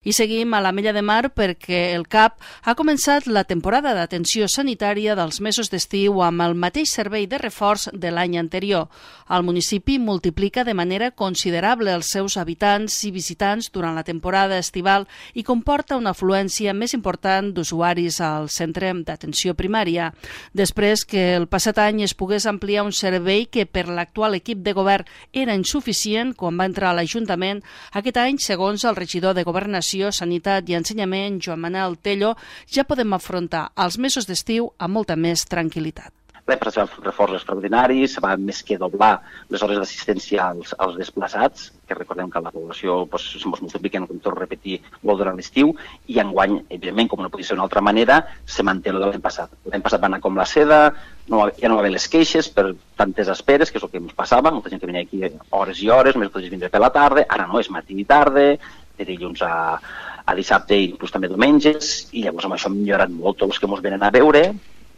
I seguim a l'Ametlla de Mar perquè el CAP ha començat la temporada d'atenció sanitària dels mesos d'estiu amb el mateix servei de reforç de l'any anterior. El municipi multiplica de manera considerable els seus habitants i visitants durant la temporada estival i comporta una afluència més important d'usuaris al centre d'atenció primària. Després que el passat any es pogués ampliar un servei que per l'actual equip de govern era insuficient quan va entrar a l'Ajuntament, aquest any, segons el regidor de Governació, Sanitat i Ensenyament, Joan Manel Tello, ja podem afrontar els mesos d'estiu amb molta més tranquil·litat. L'any passat se van fer reforços extraordinaris, se va més que doblar les hores d'assistència als desplaçats, que recordem que la població es multiplica, com torno a repetir, molt durant l'estiu, i enguany, evidentment, com no podia ser d'una altra manera, se manté el de l'any passat. L'any passat va anar com la seda, ja no va haver les queixes per tantes esperes, que és el que ens passava, molta gent que venia aquí hores i hores, només podies vindre per la tarda, ara no, és matí i tarda, de dilluns a dissabte i inclús també diumenges, i llavors amb això hem millorat molt tots els que ens venen a veure,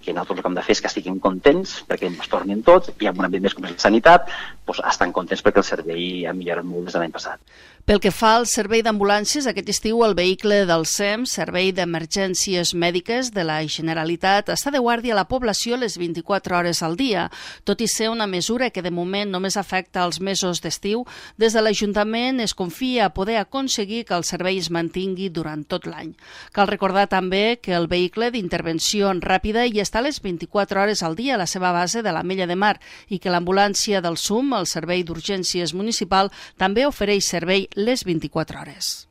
que nosaltres el que hem de fer és que estiguin contents perquè ens tornin tots, i amb un ambient més com és la sanitat, estan contents perquè el servei ha millorat molt des de l'any passat. Pel que fa al servei d'ambulàncies, aquest estiu el vehicle del SEM, Servei d'Emergències Mèdiques de la Generalitat, està de guàrdia a la població les 24 hores al dia. Tot i ser una mesura que de moment només afecta els mesos d'estiu, des de l'Ajuntament es confia a poder aconseguir que el servei es mantingui durant tot l'any. Cal recordar també que el vehicle d'intervenció ràpida hi està a les 24 hores al dia a la seva base de l'Ametlla de Mar i que l'ambulància del SUM, el Servei d'Urgències Municipal, també ofereix servei les 24 hores.